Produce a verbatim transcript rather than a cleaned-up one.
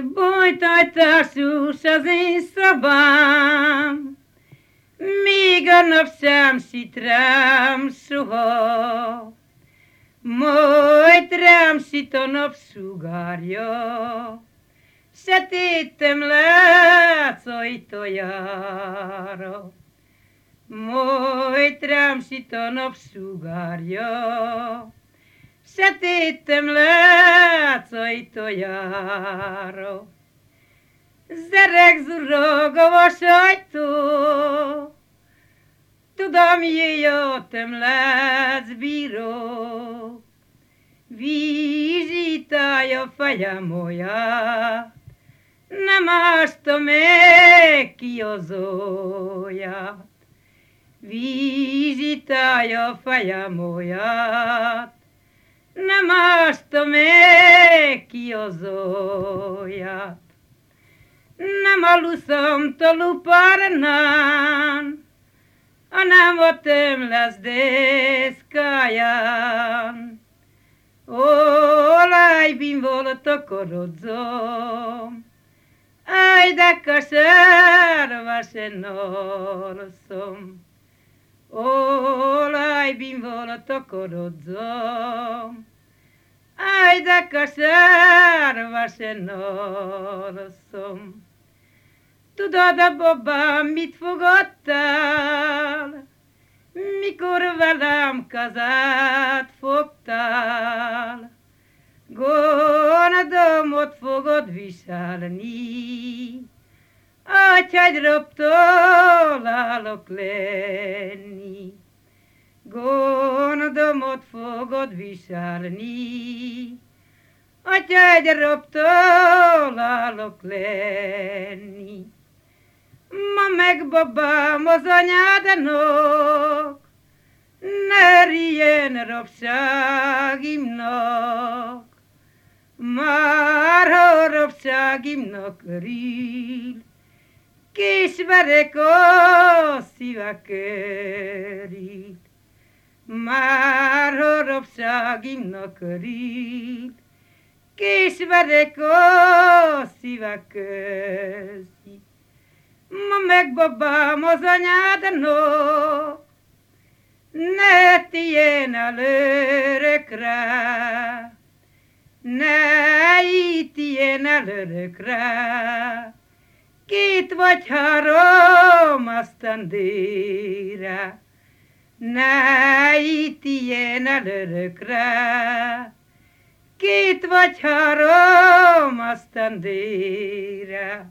Bolytajtásús az én szobám, míg a nap sem szít rám soha, majd rám szít a napsugárja, sötétem látsz ajtajára. Majd rám szít a napsugárja, sötétem látsz ajtajára. Zereg zurog a vasajtó, tudom, jöttem látsz bíró. Vízítája fejem olyat, nem ástam meg ki az olyat. Vízítája fejem olyat, nem ástam meg ki az olyat. Nem aluszom toluparnán, hanem a tömlesz deszkáján. Olajbin volt a korodzom, aj de kasárva se norszom. Olajbin volt a korodzom, aj de kasárva se norszom. Tudod, a babám, mit fogadtál, mikor velem kazát fogtál? Gonodomot fogod viselni, atyágyroptól állok lenni. Gonodomot fogod viselni, atyágyroptól állok lenni. Ma meg babám az anyádnak, ne rilyen rabságimnak. Már ha rabságimnak örül, kismerek a szíve körül. Már ha rabságimnak örül, kismerek a szíve közé. Ma meg babám az anyádnak, ne tűjjön el örökre, ne ítéljen el örökre, két vagy három esztendőre. Ne ítéljen el örökre, két vagy három esztendőre.